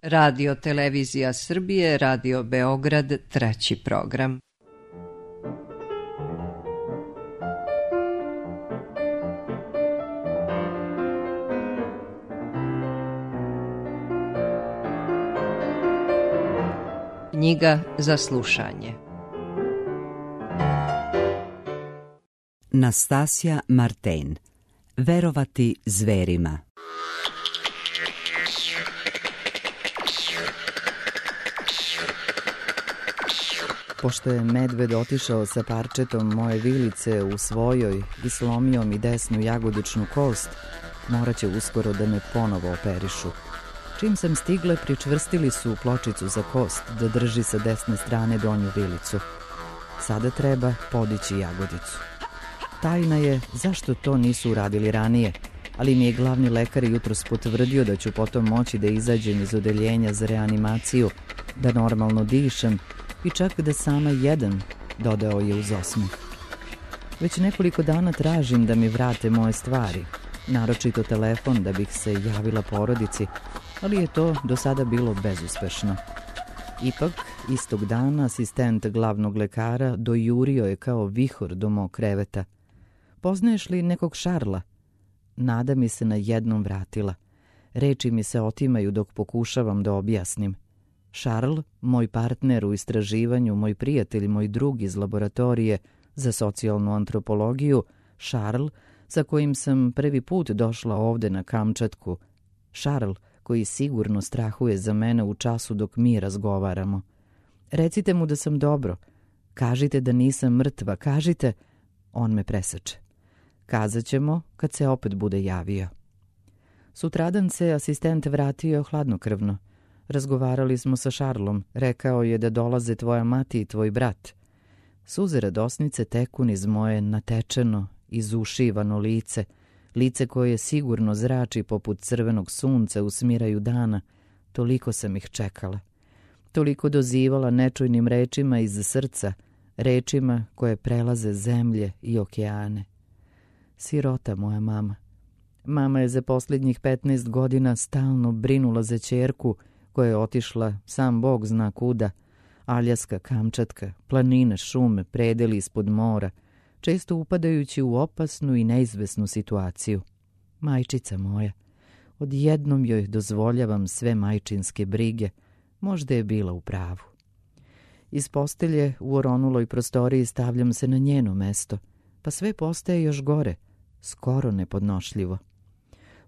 Radio Televizija Srbije, Radio Beograd, treći program. Knjiga za slušanje. Nastasja Marten. Verovati zverima. Pošto je medved otišao sa parčetom moje vilice u svojoj i slomio mi desnu jagodičnu kost, morat će uskoro da me ponovo operišu. Čim sam stigla, pričvrstili su pločicu za kost da drži sa desne strane donju vilicu. Sada treba podići jagodicu. Tajna je zašto to nisu uradili ranije, ali mi je glavni lekar jutros potvrdio da ću potom moći da izađem iz odeljenja za reanimaciju, da normalno dišem i čak da sama jedem, dodao je uz osmeh. Već nekoliko dana tražim da mi vrate moje stvari, naročito telefon da bih se javila porodici, ali je to do sada bilo bezuspešno. Ipak, istog dana asistent glavnog lekara dojurio je kao vihor do mog kreveta. Poznaješ li nekog Šarla? Nada mi se na jednom vratila. Reči mi se otimaju dok pokušavam da objasnim. Šarl, moj partner u istraživanju, moj prijatelj, moj drug iz laboratorije za socijalnu antropologiju, Šarl, sa kojim sam prvi put došla ovde na Kamčatku. Šarl, koji sigurno strahuje za mene u času dok mi razgovaramo. Recite mu da sam dobro. Kažite da nisam mrtva, kažite. On me preseče. Kazat ćemo kad se opet bude javio. Sutradan se asistent vratio hladnokrvno. Razgovarali smo sa Šarlom. Rekao je da dolaze tvoja mati i tvoj brat. Suze radosnice teku niz moje natečeno, izušivano lice, lice koje sigurno zrači poput crvenog sunca u smiraju dana. Toliko sam ih čekala. Toliko dozivala nečujnim rečima iz srca, rečima koje prelaze zemlje i okeane. Sirota moja mama. Mama je za posljednjih 15 godina stalno brinula za ćerku koja je otišla, sam Bog zna kuda, Aljaska, Kamčatka, planine, šume, predeli ispod mora, često upadajući u opasnu i neizvesnu situaciju. Majčica moja, odjednom joj dozvoljavam sve majčinske brige, možda je bila u pravu. Iz postelje u oronuloj prostoriji stavljam se na njeno mesto, pa sve postaje još gore, skoro nepodnošljivo.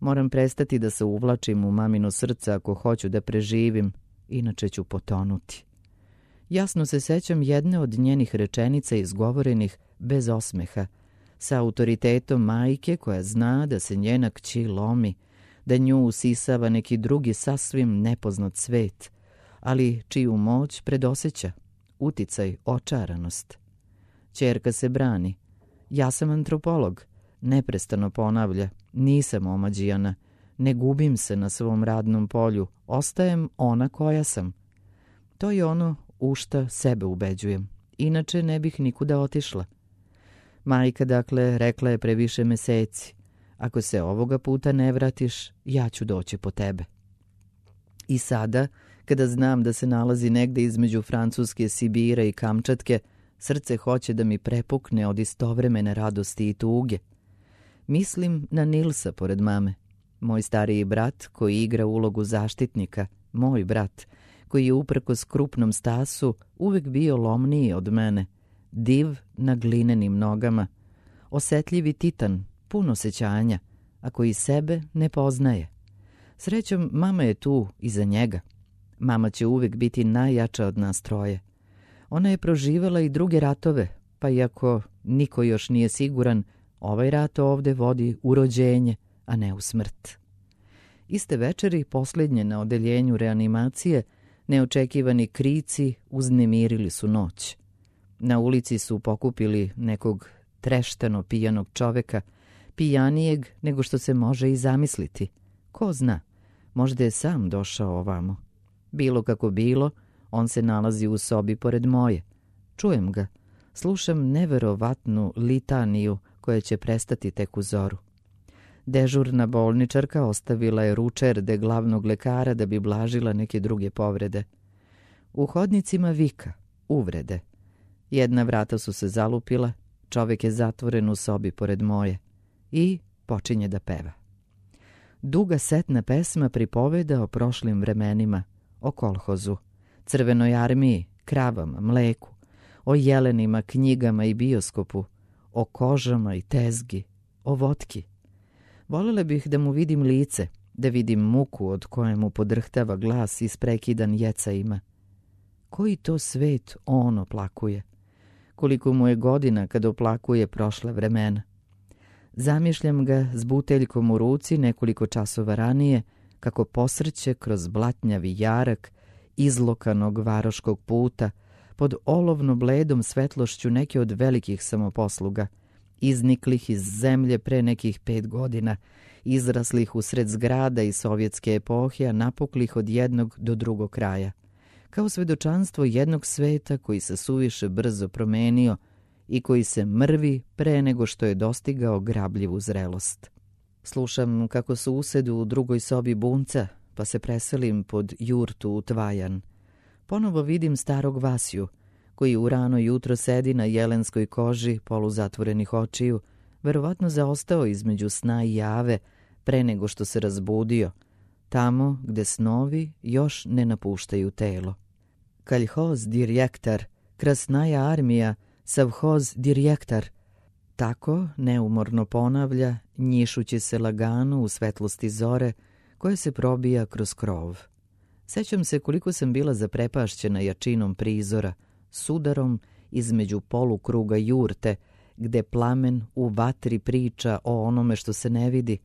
Moram prestati da se uvlačim u mamino srce ako hoću da preživim, inače ću potonuti. Jasno se sećam jedne od njenih rečenica izgovorenih bez osmeha, sa autoritetom majke koja zna da se njena kći lomi, da nju usisava neki drugi sasvim nepoznat svet, ali čiju moć predoseća, uticaj, očaranost. Ćerka se brani. Ja sam antropolog, neprestano ponavlja, nisam omađijana, ne gubim se na svom radnom polju, ostajem ona koja sam. To je ono u šta sebe ubeđujem, inače ne bih nikuda otišla. Majka, dakle, rekla je pre više meseci, ako se ovoga puta ne vratiš, ja ću doći po tebe. I sada, kada znam da se nalazi negde između Francuske, Sibira i Kamčatke, srce hoće da mi prepukne od istovremene radosti i tuge. Mislim na Nilsa pored mame, moj stariji brat koji igra ulogu zaštitnika, moj brat, koji je uprkos krupnom stasu uvek bio lomniji od mene, div na glinenim nogama, osetljivi titan, pun osećanja, a koji sebe ne poznaje. Srećom, mama je tu iza njega. Mama će uvek biti najjača od nas troje. Ona je proživala i druge ratove, pa iako niko još nije siguran, ovaj rat ovde vodi u rođenje, a ne u smrt. Iste večeri, posljednje na odeljenju reanimacije, neočekivani krici uznemirili su noć. Na ulici su pokupili nekog treštano pijanog čoveka, pijanijeg nego što se može i zamisliti. Ko zna, možda je sam došao ovamo. Bilo kako bilo, on se nalazi u sobi pored moje. Čujem ga, slušam neverovatnu litaniju koja će prestati tek u zoru. Dežurna bolničarka ostavila je ručerde glavnog lekara da bi blažila neke druge povrede. U hodnicima vika, uvrede. Jedna vrata su se zalupila, čovjek je zatvoren u sobi pored moje i počinje da peva. Duga setna pesma pripoveda o prošlim vremenima, o kolhozu, Crvenoj armiji, kravama, mleku, o jelenima, knjigama i bioskopu, o kožama i tezgi, o votki. Volela bih da mu vidim lice, da vidim muku od koje mu podrhtava glas isprekidan jecajima. Koji to svet on oplakuje? Koliko mu je godina kad oplakuje prošla vremena? Zamišljam ga s buteljkom u ruci nekoliko časova ranije, kako posrće kroz blatnjavi jarak izlokanog varoškog puta, pod olovno bledom svetlošću neke od velikih samoposluga, izniklih iz zemlje pre nekih 5 godina, izraslih usred zgrada i sovjetske epohe, a napuklih od jednog do drugog kraja, kao svedočanstvo jednog sveta koji se suviše brzo promenio i koji se mrvi pre nego što je dostigao grabljivu zrelost. Slušam kako su usedu u drugoj sobi bunca, pa se preselim pod jurtu u Tvajan. Ponovo vidim starog Vasiju, koji u rano jutro sedi na jelenskoj koži poluzatvorenih očiju, verovatno zaostao između sna i jave pre nego što se razbudio, tamo gde snovi još ne napuštaju telo. Kaljhoz direktar, Krasnaja armija, savhoz direktar. Tako neumorno ponavlja, njišući se lagano u svetlosti zore koja se probija kroz krov. Sećam se koliko sam bila zaprepašćena jačinom prizora, sudarom između polukruga jurte, gde plamen u vatri priča o onome što se ne vidi,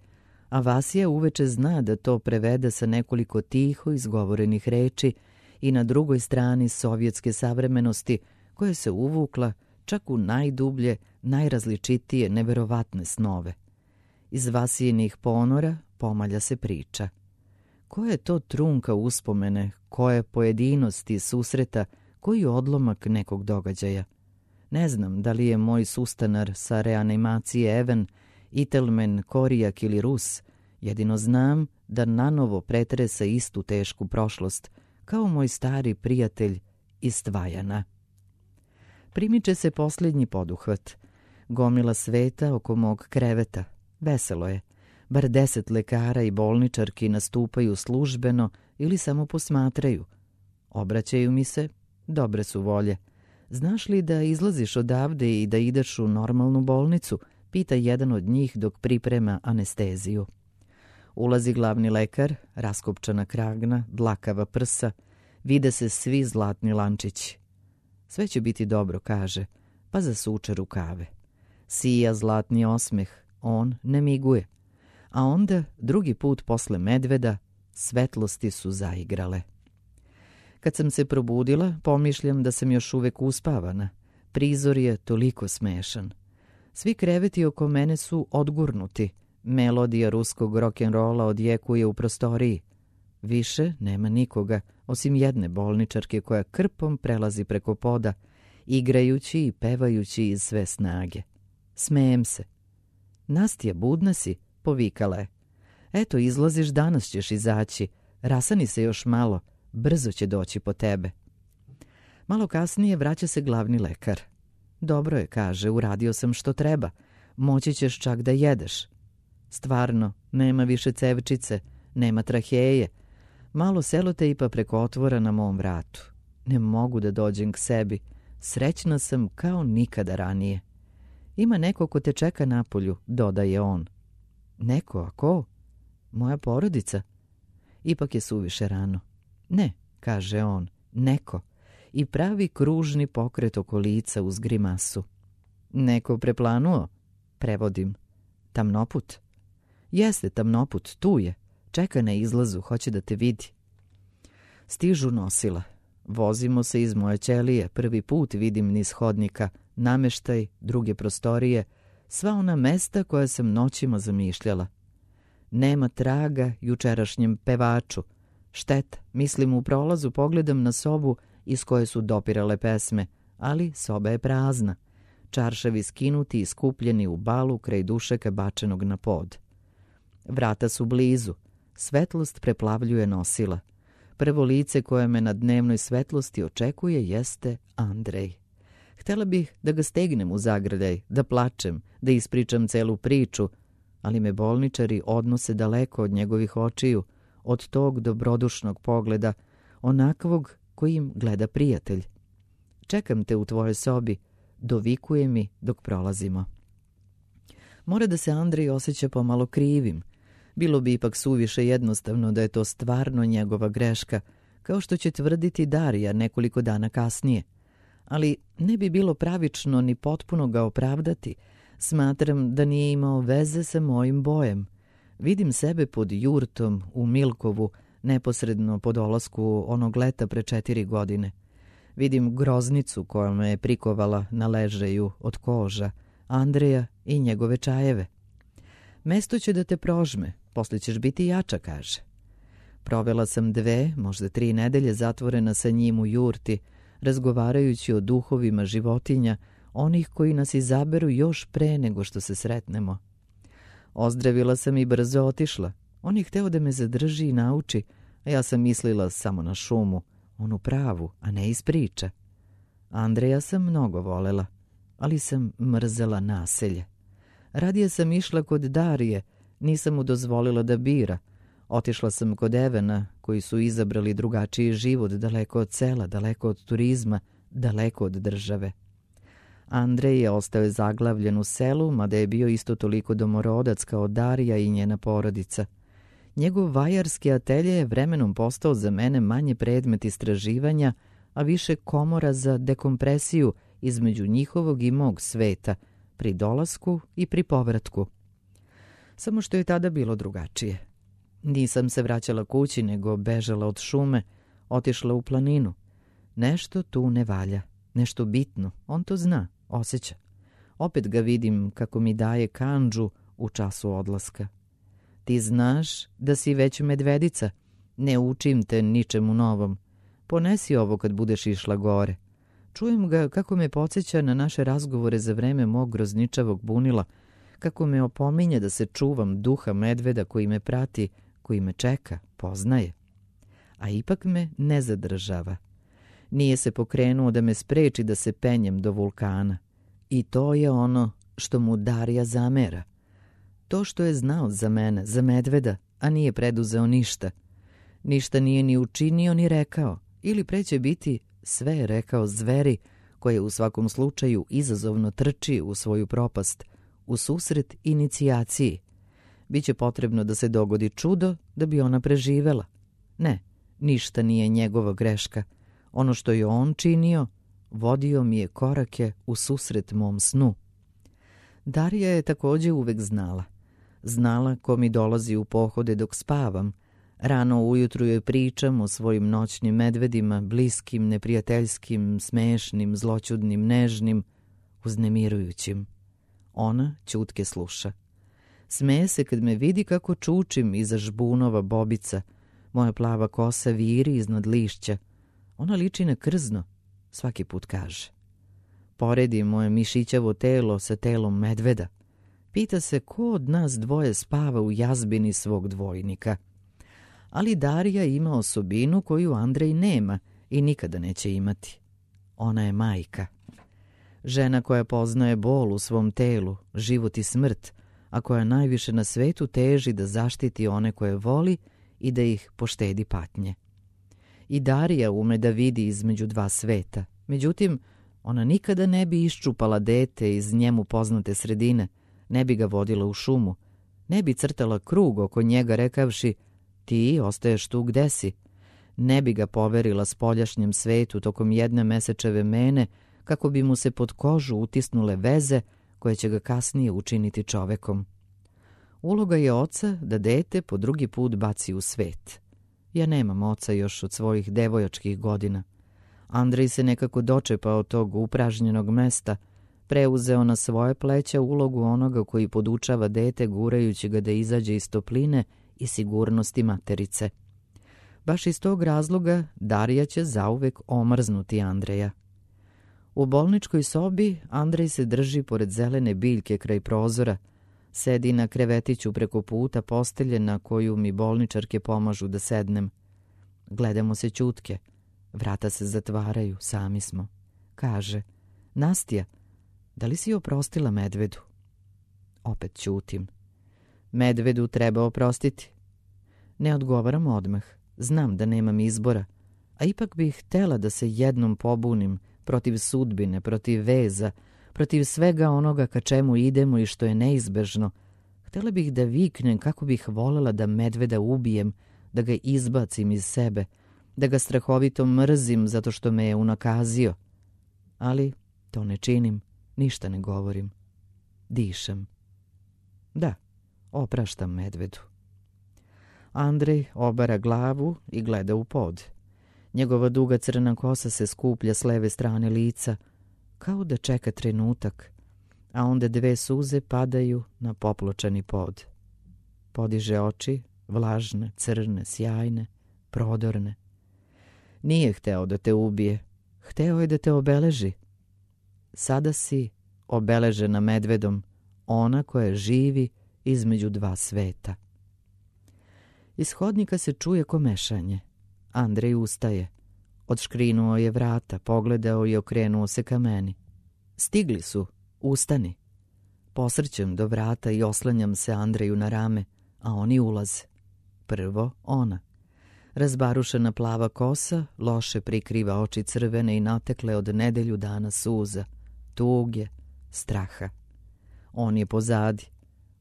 a Vasija uveče zna da to prevede sa nekoliko tiho izgovorenih reči i na drugoj strani sovjetske savremenosti koja se uvukla čak u najdublje, najrazličitije, neverovatne snove. Iz Vasijinih ponora pomalja se priča. Koja je to trunka uspomene, koje pojedinosti susreta, koji odlomak nekog događaja? Ne znam da li je moj sustanar sa reanimacije Even, Itelmen, Korijak ili Rus, jedino znam da nanovo pretresa istu tešku prošlost, kao moj stari prijatelj iz Tvajana. Primiče se posljednji poduhvat. Gomila sveta oko mog kreveta. Veselo je. Bar 10 lekara i bolničarki nastupaju službeno ili samo posmatraju. Obraćaju mi se, dobre su volje. Znaš li da izlaziš odavde i da ideš u normalnu bolnicu? Pita jedan od njih dok priprema anesteziju. Ulazi glavni lekar, raskopčana kragna, dlakava prsa. Vide se svi zlatni lančići. Sve će biti dobro, kaže, pa zasuče rukave. Sija zlatni osmeh, on ne miguje. A onda, drugi put posle medveda, svetlosti su zaigrale. Kad sam se probudila, pomišljam da sam još uvek uspavana. Prizor je toliko smešan. Svi kreveti oko mene su odgurnuti. Melodija ruskog rock'n'rolla odjekuje u prostoriji. Više nema nikoga, osim jedne bolničarke koja krpom prelazi preko poda, igrajući i pevajući iz sve snage. Smejem se. Nastja, budna si, povikala je. Eto, izlaziš, danas ćeš izaći. Rasani se još malo, brzo će doći po tebe. Malo kasnije vraća se glavni lekar. Dobro je, kaže, uradio sam što treba. Moći ćeš čak da jedeš. Stvarno, nema više cevčice, nema traheje. Malo selotejpa preko otvora na mom vratu. Ne mogu da dođem k sebi. Srećna sam kao nikada ranije. Ima neko ko te čeka napolju, dodaje on. Neko, a ko? Moja porodica. Ipak je suviše rano. Ne, kaže on, neko. I pravi kružni pokret oko lica uz grimasu. Neko preplanuo? Prevodim. Tamnoput? Jeste, tamnoput, tu je. Čeka na izlazu, hoće da te vidi. Stižu nosila. Vozimo se iz moje ćelije, prvi put vidim niz hodnika, nameštaj, druge prostorije, sva ona mesta koja sam noćima zamišljala. Nema traga jučerašnjem pevaču. Šteta, mislim u prolazu pogledam na sobu iz koje su dopirale pesme, ali soba je prazna. Čaršavi skinuti i skupljeni u balu kraj dušeka bačenog na pod. Vrata su blizu. Svetlost preplavljuje nosila. Prvo lice koje me na dnevnoj svetlosti očekuje jeste Andrej. Htela bih da ga stegnem u zagrljaj, da plačem, da ispričam celu priču, ali me bolničari odnose daleko od njegovih očiju, od tog dobrodušnog pogleda, onakvog kojim gleda prijatelj. Čekam te u tvojoj sobi, dovikuje mi dok prolazimo. Mora da se Andrej osjeća pomalo krivim. Bilo bi ipak suviše jednostavno da je to stvarno njegova greška, kao što će tvrditi Darija nekoliko dana kasnije. Ali ne bi bilo pravično ni potpuno ga opravdati. Smatram da nije imao veze sa mojim bojem. Vidim sebe pod jurtom u Milkovu, neposredno po dolasku onog leta pre 4 godine. Vidim groznicu koja me je prikovala na ležaju od koža, Andreja i njegove čajeve. Mesto će da te prožme, posle ćeš biti jača, kaže. Provela sam 2, možda 3 nedelje zatvorena sa njim u jurti, razgovarajući o duhovima životinja, onih koji nas izaberu još pre nego što se sretnemo. Ozdravila sam i brzo otišla. On je hteo da me zadrži i nauči, a ja sam mislila samo na šumu, onu pravu, a ne iz priča. Andreja sam mnogo volela, ali sam mrzela naselje. Radije sam išla kod Darije, nisam mu dozvolila da bira. Otišla sam kod Evena, koji su izabrali drugačiji život, daleko od sela, daleko od turizma, daleko od države. Andrej je ostao zaglavljen u selu, mada je bio isto toliko domorodac kao Darija i njena porodica. Njegov vajarski atelje je vremenom postao za mene manje predmet istraživanja, a više komora za dekompresiju između njihovog i mog sveta, pri dolasku i pri povratku. Samo što je tada bilo drugačije. Nisam se vraćala kući, nego bežala od šume, otišla u planinu. Nešto tu ne valja, nešto bitno, on to zna, osjeća. Opet ga vidim kako mi daje kandžu u času odlaska. Ti znaš da si već medvedica, ne učim te ničemu novom. Ponesi ovo kad budeš išla gore. Čujem ga kako me podsjeća na naše razgovore za vreme mog grozničavog bunila, kako me opominje da se čuvam duha medveda koji me prati, koji me čeka, poznaje. A ipak me ne zadržava. Nije se pokrenuo da me spreči da se penjem do vulkana. I to je ono što mu Darija zamera. To što je znao za mene, za medveda, a nije preduzeo ništa. Ništa nije ni učinio ni rekao, ili pre će biti sve je rekao zveri, koje u svakom slučaju izazovno trči u svoju propast, u susret inicijaciji. Biće potrebno da se dogodi čudo da bi ona preživela. Ne, ništa nije njegova greška. Ono što je on činio, vodio mi je korake u susret mom snu. Darija je također uvek znala. Znala ko mi dolazi u pohode dok spavam. Rano ujutru joj pričam o svojim noćnim medvedima, bliskim, neprijateljskim, smešnim, zloćudnim, nežnim, uznemirujućim. Ona ćutke sluša. Smeje se kad me vidi kako čučim iza žbunova bobica. Moja plava kosa viri iznad lišća. Ona liči na krzno, svaki put kaže. Poredi moje mišićavo telo sa telom medveda. Pita se ko od nas dvoje spava u jazbini svog dvojnika. Ali Darija ima osobinu koju Andrej nema i nikada neće imati. Ona je majka. Žena koja poznaje bol u svom telu, život i smrt, a koja najviše na svetu teži da zaštiti one koje voli i da ih poštedi patnje. I Darija ume da vidi između dva sveta. Međutim, ona nikada ne bi iščupala dete iz njemu poznate sredine, ne bi ga vodila u šumu, ne bi crtala krug oko njega rekavši ti ostaješ tu gde si, ne bi ga poverila spoljašnjem svetu tokom jedne mesečeve mene kako bi mu se pod kožu utisnule veze koje će ga kasnije učiniti čovekom. Uloga je oca da dete po drugi put baci u svet. Ja nemam oca još od svojih devojačkih godina. Andrej se nekako dočepao tog upražnjenog mesta, preuzeo na svoje pleća ulogu onoga koji podučava dete gurajući ga da izađe iz topline i sigurnosti materice. Baš iz tog razloga Darija će zauvek omrznuti Andreja. U bolničkoj sobi Andrej se drži pored zelene biljke kraj prozora, Sedi na krevetiću preko puta postelje na koju mi bolničarke pomažu da sednem. Gledamo se ćutke. Vrata se zatvaraju, sami smo. Kaže, Nastja, da li si oprostila Medvedu? Opet ćutim. Medvedu treba oprostiti. Ne odgovaram odmah. Znam da nemam izbora, a ipak bih htela da se jednom pobunim protiv sudbine, protiv veza, protiv svega onoga ka čemu idemo i što je neizbežno. Htela bih da viknem kako bih volela da Medveda ubijem, da ga izbacim iz sebe, da ga strahovito mrzim zato što me je unakazio. Ali to ne činim, ništa ne govorim. Dišem. Da, opraštam Medvedu. Andrej obara glavu i gleda u pod. Njegova duga crna kosa se skuplja s leve strane lica, kao da čeka trenutak, a onda 2 suze padaju na popločani pod. Podiže oči, vlažne, crne, sjajne, prodorne. Nije hteo da te ubije, hteo je da te obeleži. Sada si obeležena Medvedom, ona koja živi između 2 sveta. Iz hodnika se čuje komešanje. Andrej ustaje. Odškrinuo je vrata, pogledao i okrenuo se ka meni. Stigli su, ustani. Posrćem do vrata i oslanjam se Andreju na rame, a oni ulaze. Prvo ona. Razbarušena plava kosa loše prikriva oči crvene i natekle od nedelju dana suza, tuge, straha. On je pozadi.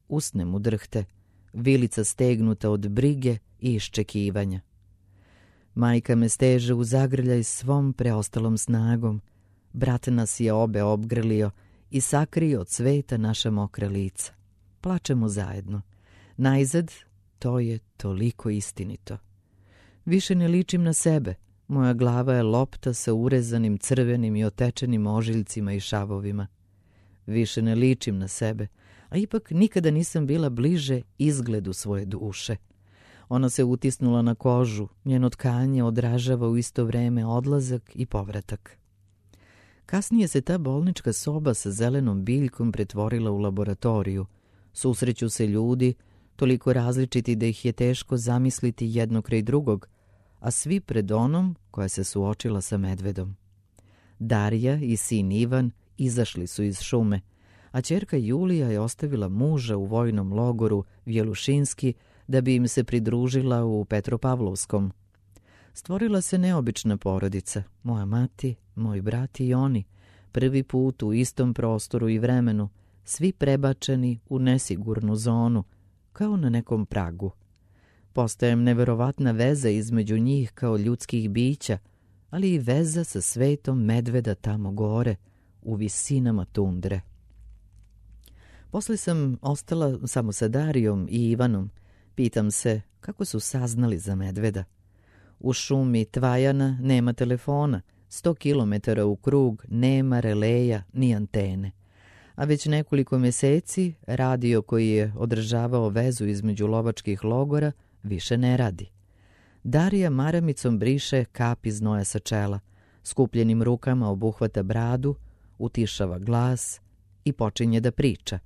Usne mu drhte, vilica stegnuta od brige i iščekivanja. Majka me steže u zagrljaj svom preostalom snagom. Brat nas je obe obgrlio i sakrio od sveta naša mokra lica. Plačemo zajedno. Najzad, to je toliko istinito. Više ne ličim na sebe. Moja glava je lopta sa urezanim crvenim i otečenim ožiljcima i šavovima. Više ne ličim na sebe, a ipak nikada nisam bila bliže izgledu svoje duše. Ona se utisnula na kožu, njeno tkanje odražava u isto vreme odlazak i povratak. Kasnije se ta bolnička soba sa zelenom biljkom pretvorila u laboratoriju. Susreću se ljudi, toliko različiti da ih je teško zamisliti jedno kraj drugog, a svi pred onom koja se suočila sa Medvedom. Darija i sin Ivan izašli su iz šume, a ćerka Julija je ostavila muža u vojnom logoru Vjelušinski da bi im se pridružila u Petropavlovskom. Stvorila se neobična porodica, moja mati, moj brat i oni, prvi put u istom prostoru i vremenu, svi prebačeni u nesigurnu zonu, kao na nekom pragu. Postajem neverovatna veza između njih kao ljudskih bića, ali i veza sa svetom Medveda tamo gore, u visinama tundre. Posle sam ostala samo sa Darijom i Ivanom. Pitam se kako su saznali za Medveda. U šumi Tvajana nema telefona, 100 kilometara u krug nema releja ni antene. A već nekoliko mjeseci radio koji je održavao vezu između lovačkih logora više ne radi. Darija maramicom briše kapi znoja sa čela, skupljenim rukama obuhvata bradu, utišava glas i počinje da priča.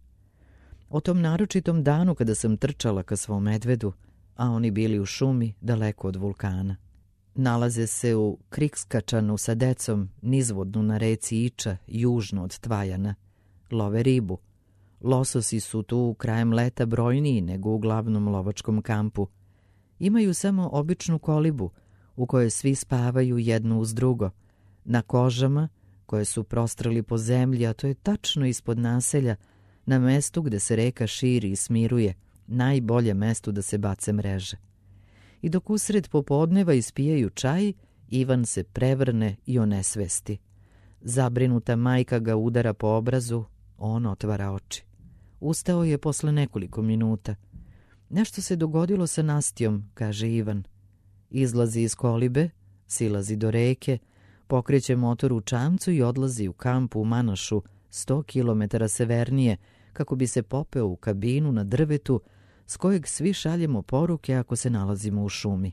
O tom naročitom danu kada sam trčala ka svom Medvedu, a oni bili u šumi daleko od vulkana. Nalaze se u Krikskačanu sa decom, nizvodnu na reci Iča, južno od Tvajana. Love ribu. Lososi su tu krajem leta brojniji nego u glavnom lovačkom kampu. Imaju samo običnu kolibu u kojoj svi spavaju jedno uz drugo. Na kožama koje su prostrali po zemlji, a to je tačno ispod naselja, na mestu gde se reka širi i smiruje, najbolje mesto da se bace mreže. I dok usred popodneva ispijaju čaj, Ivan se prevrne i onesvesti. Zabrinuta majka ga udara po obrazu, on otvara oči. Ustao je posle nekoliko minuta. Nešto se dogodilo sa Nastjom, kaže Ivan. Izlazi iz kolibe, silazi do reke, pokreće motor u čamcu i odlazi u kamp u Manašu, 100 kilometara severnije, kako bi se popeo u kabinu na drvetu s kojeg svi šaljemo poruke ako se nalazimo u šumi.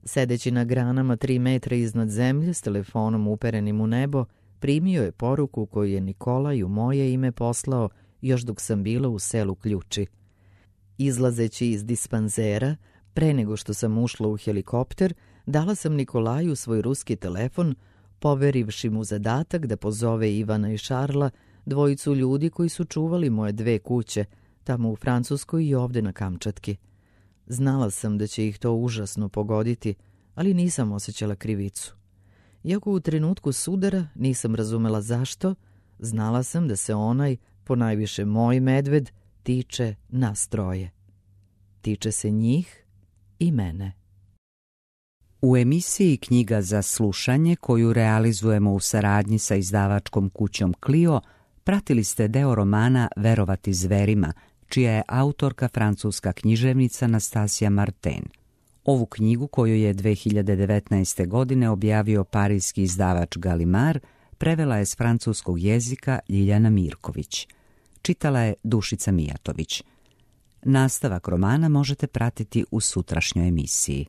Sedeći na granama 3 metra iznad zemlje s telefonom uperenim u nebo, primio je poruku koju je Nikolaj u moje ime poslao još dok sam bila u selu Ključi. Izlazeći iz dispanzera, pre nego što sam ušla u helikopter, dala sam Nikolaju svoj ruski telefon, poverivši mu zadatak da pozove Ivana i Šarla, dvojicu ljudi koji su čuvali moje 2 kuće, tamo u Francuskoj i ovde na Kamčatki. Znala sam da će ih to užasno pogoditi, ali nisam osjećala krivicu. Iako u trenutku sudara nisam razumela zašto, znala sam da se onaj, ponajviše moj medved, tiče nas 3. Tiče se njih i mene. U emisiji Knjiga za slušanje, koju realizujemo u saradnji sa izdavačkom kućom Clio, pratili ste deo romana Verovati zverima, čija je autorka francuska književnica Nastasija Martin. Ovu knjigu, koju je 2019. godine objavio parijski izdavač Gallimard, prevela je s francuskog jezika Ljiljana Mirković. Čitala je Dušica Mijatović. Nastavak romana možete pratiti u sutrašnjoj emisiji.